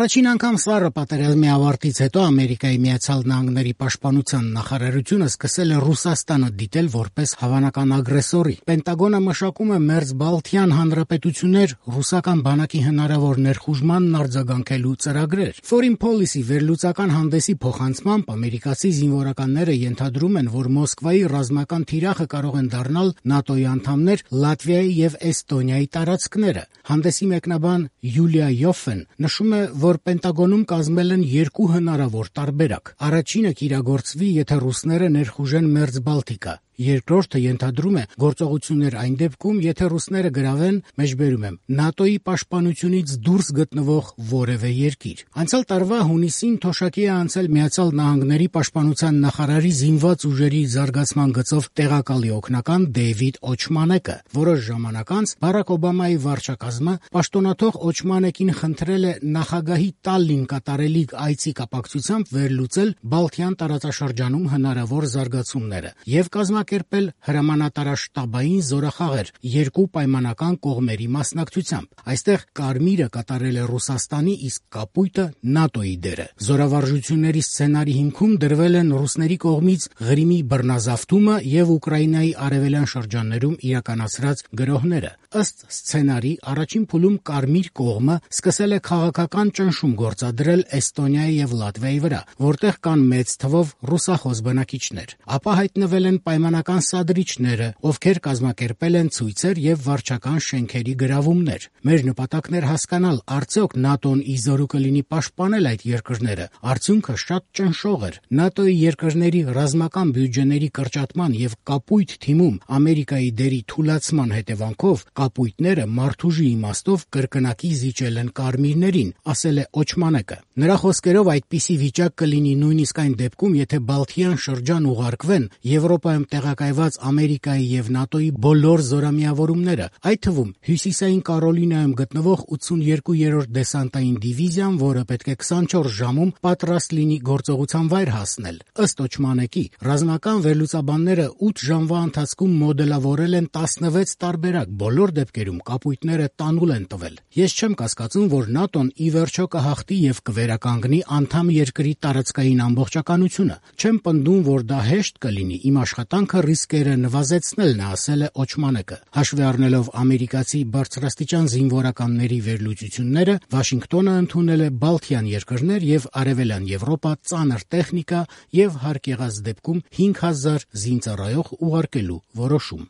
Առաջին անգամ սառը պատերազմի ավարտից հետո Ամերիկայի Միացյալ Նահանգների պաշտպանության նախարարությունը սկսել է Ռուսաստանը դիտել որպես հավանական ագրեսորի։ Պենտագոնը մշակում է մերձբալթյան հանրապետություններ ռուսական բանակի հնարավոր ներխուժմանն արձագանքելու ծրագրեր։ Foreign Policy վերլուծական հանդեսի փոխանցմամբ ամերիկացի զինվորականները ենթադրում են, որ Մոսկվայի ռազմական թիրախը կարող են դառնալ ՆԱՏՕ-ի անդամներ Լատվիայի եւ Էստոնիայի տարածքները։ Հանդեսի մեկնաբան Յուլիա Յոֆեն նշում է, որ Պենտագոնում կազմել են երկու հնարավոր տարբերակ։ Առաջինը կիրագործվի, եթե ռուսները ներխուժեն Մերձբալթիկա։ Երկրորդը ենթադրում է գործողություններ այն դեպքում, եթե ռուսները գրավեն, մեջբերում եմ, ՆԱՏՕ-ի պաշտպանությունից դուրս գտնվող որևէ երկիր։ Անցյալ տարվա հունիսին թոշակի է անցել Միացյալ Նահանգների պաշտպանության նախարարի զինված ուժերի զարգացման գծով տեղակալի օգնական Դեյվիդ Օչմանեկը։ Որոշ ժամանակ անց Բարակ Օբամայի վարչակազմը պաշտոնաթող Օչմանեկին խնդրել է նախագահի Տալլին կատարելիք այցի կապակցությամբ վերլուծել Բալթյան տարածաշրջանում հնարավոր զարգացումները եւ կազմակերպել հրամանատարաշտաբային զորախաղեր երկու պայմանական կողմերի մասնակցությամբ։ Այստեղ կարմիրը կատարել է Ռուսաստանի, իսկ կապույտը ՆԱՏՕ-ի դերը։ Զորավարժությունների սցենարի հիմքում դրվել են ռուսների կողմից Ղրիմի բռնազավթումը եւ Ուկրաինայի արևելյան շրջաններում իրականացրած գրոհները։ Ըստ սցենարի, առաջին փուլում կարմիր կողմը սկսել է քաղաքական ճնշում գործադրել Էստոնիայի եւ Լատվիայի վրա, որտեղ կան մեծ թվով ռուսախոս բնակիչներ։ Ապա հայտնվել են պայմանական սադրիչները, ովքեր կազմակերպել են ցույցեր եւ վարչական շենքերի գրավումներ։ Մեր նպատակն էր հասկանալ, արդյոք ՆԱՏՕ-ն ի զորու կլինի պաշտպանել այդ երկրները։ Արդյունքը շատ ճնշող էր։ ՆԱՏՕ-ի երկրների ռազմական բյուջեների կրճատման եւ կապույտ թիմում Ամերիկայի դերի թուլացման հետևանքով կապույտները մարդուժի իմաստով կրկնակի զիջել են կարմիրներին, ասել է Օչմանեկը։ Նրա խոսքերով այդպիսի վիճակ կլինի նույնիսկ այն դեպքում, եթե Բալթյան շրջան ուղարկվեն Եվրոպայում տեղակայված Ամերիկայի եւ ՆԱՏՕ-ի բոլոր զորամիավորումները, այդ թվում Հյուսիսային Կարոլինայում գտնվող 82-րդ դեսանտային դիվիզիան, որը պետք է 24 ժամում պատրաստ լինի գործողության վայր հասնել։ Ըստ Օչմանեկի, ռազմական վերլուծաբանները 8 ժամվա ընթացքում մոդելավորել են 16 տարբերակ, բոլոր դեպքերում կապույտները տանուլ են տվել։ Ես չեմ կասկածում, որ ՆԱՏՕ-ն ի վերջո կհաղթի եւ կվերականգնի անդամ երկրի տարածքային ամբողջականությունը։ Չեմ պնդում, որ դա հեշտ կլինի, իմ աշխատանքը ռիսկերը նվազեցնելն է, ասել է Օչմանեկը։ Հաշվի առնելով ամերիկացի բարձրաստիճան զինվորականների վերլուծությունները, Վաշինգտոնը ընդունել է Բալթյան երկրներ եւ Արևելյան Եվրոպա ծանր տեխնիկա եւ հարկ եղած դեպքում 5000 զինծառայող ուղարկելու որոշում։